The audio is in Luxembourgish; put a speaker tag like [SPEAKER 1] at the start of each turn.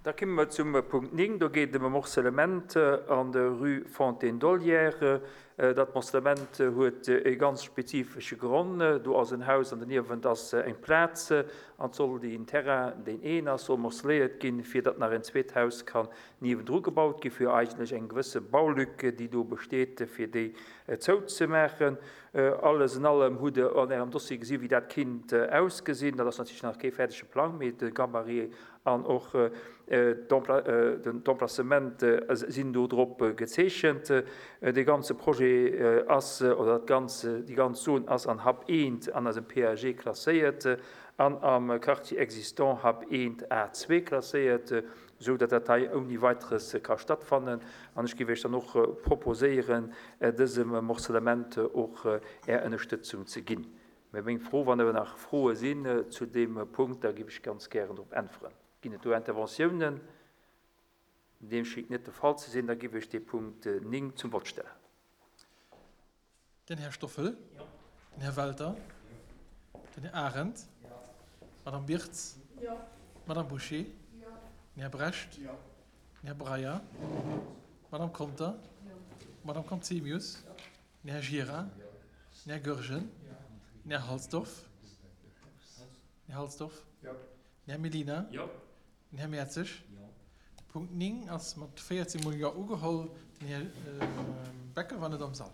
[SPEAKER 1] Da komme mer zum Punkt 9. Do geet et ëm e Morcellement an der Rue Fontaine d'Olière. Dat Morcellement huet e ganz spezifesche Gronn. Do ass en Haus an doniewent ass eng Plaz. An et soll deen Terrain, deen een ass, soll morceléiert ginn, fir datt nach en zweet Haus kann niewendru gebaut ginn, fir eigentlech eng gewësse Baulück, déi do besteet, fir déi zouzemaachen. Alles in allem hutt Der an Ärem Dossier gesinn, wéi dat kinnt ausgesinn. Dat ass natierlech nach kee fäerdege Plang, mee de Gabarit an och d'Emplacement sinn do drop gezeechent. Dee ganze Projet ass, oder dat ganz, déi ganz Zon ass an Hub 1 an eisem PAG klasséiert an am Quartier existant Hub 1 A2 klasséiert, esou datt dat hei ouni Weiteres ka stattfannen. An ech géif Iech dann och proposéieren, dësem Morcellement och Är Ënnerstëtzung ze ginn. Mä meng Fro, wann awer nach Froe sinn zu deem Punkt, da géif ech ganz gären drop äntweren. Ginn et do Interventiounen? Deem schéngt net de Fall ze sinn. Da géif ech dee Punkt 9 zum Vott stellen.
[SPEAKER 2] Den Här Stoffel. Den Här Welter. Den Här Arendt. D'Madame Birtz. D'Madame Bouché. Den Här Brecht. Den Här Breyer. D'Madame Conter. D'Madame Conzemius. Den Här Gira. Den Här Goergen. Den Här Halsdorf. Den Här Halsdorf. Den Här Mellina. Den Här Mertzig. De Punkt 9 ass mat 14 mol Jo ugeholl. Den Här Becker war net am Sall.